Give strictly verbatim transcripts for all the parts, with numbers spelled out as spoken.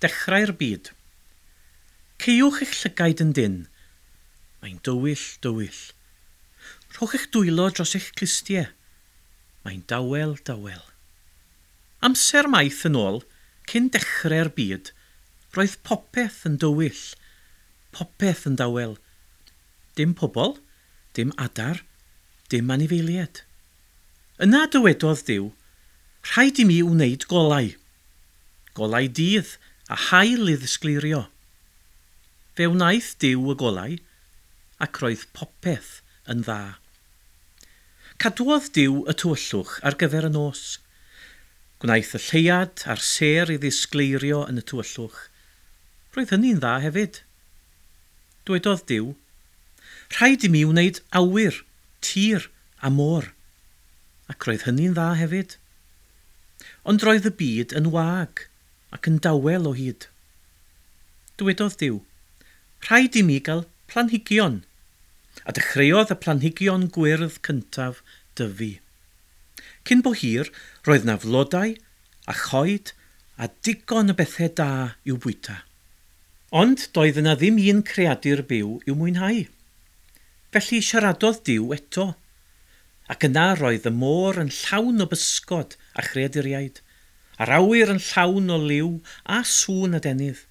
dechrau'r byd. Caewch eich llygaid yn dynn. Mae'n dywyll, dywyll. Rhowch eich dwylo dros eich clustiau. Mae'n dawel, dawel. Amser maith yn ôl, cyn dechrau'r byd, roedd popeth yn dywyll, popeth yn dawel. Dim pobl, dim adar, dim anifeiliaid. Yna dywedodd Duw, rhaid i mi wneud golau. Golau dydd a haul i ddisgleirio. Fe wnaeth Duw y golau, ac roedd popeth yn dda. Cadwodd Duw y tywyllwch ar gyfer y nos. Gwnaeth y lleuad a'r sêr i ddisgleirio yn y tywyllwch. Roedd hynny'n dda hefyd. Dwedodd Duw, rhaid i mi wneud awyr, tir a môr. Ac roedd hynny'n dda hefyd. Ond roedd y byd yn wag ac yn dawel o hyd. Dywedodd Duw, rhaid i mi gael planhigion. A dechreuodd y planhigion gwyrdd cyntaf dyfu. Cyn bo hir, roedd 'na flodau a choed a digon o bethau da i'w bwyta. Ond doedd yna ddim un creadur byw i'w mwynhau. Felly siaradodd Duw eto. Ac yna roedd y môr yn llawn o bysgod a chreaduriaid, a'r awyr yn llawn o liw a sŵn adenydd.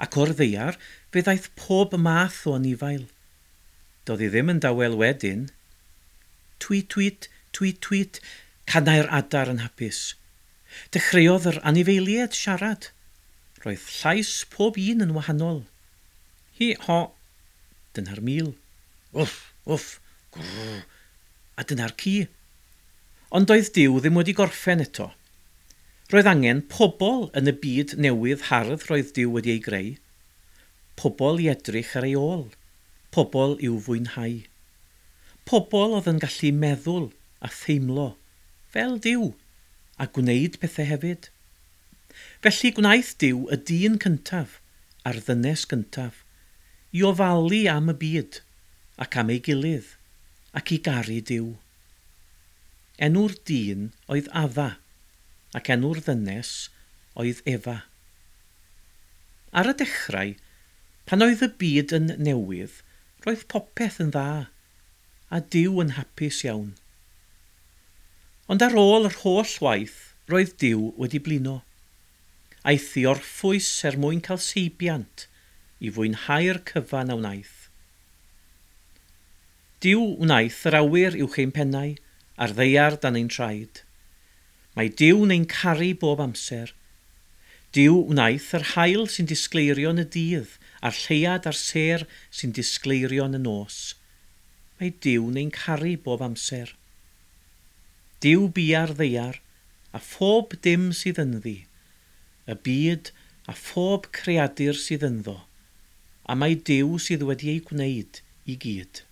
Ac o'r ddaear fe ddaeth pob math o anifail. Doedd hi ddim yn dawel wedyn. Tweet, tweet, tweet, tweet, canai'r adar yn hapus. Dechreuodd yr anifeiliaid siarad. Roedd llais pob un yn wahanol. Hi, ho, dyna'r mul. Wff, wff, grrr, a dyna'r ci. Ond doedd Duw ddim wedi gorffen eto. Roedd angen pobl yn y byd newydd hardd roedd Duw wedi ei greu. Pobl i edrych ar ei ôl. Pobl i'w fwynhau. Pobl oedd yn gallu meddwl a theimlo, fel Duw, a gwneud pethau hefyd. Felly gwnaeth Duw y dyn cyntaf a'r ddynes gyntaf i ofalu am y byd ac am ei gilydd ac i garu Duw. Enw'r dyn oedd Adda ac enw'r ddynes oedd Efa. Ar y dechrau, pan oedd y byd yn newydd, roedd popeth yn dda, a Duw yn hapus iawn. Ond ar ôl yr holl waith, roedd Duw wedi blino. Aeth i orffwys er mwyn cael seibiant i fwynhau'r cyfan a wnaeth. Duw wnaeth yr awyr uwch ein pennau a'r ddaear dan ein traed. Mae Duw'n ein caru bob amser. Duw wnaeth yr haul sy'n disgleirio yn y dydd a'r lleuad a'r sêr sy'n disgleirio yn y nos. Mae Duw'n ein caru bob amser. Duw bia'r ddaear a phob dim sydd ynddi, y byd a phob creadur sydd ynddo, a mai Duw sydd wedi ei gwneud i gyd.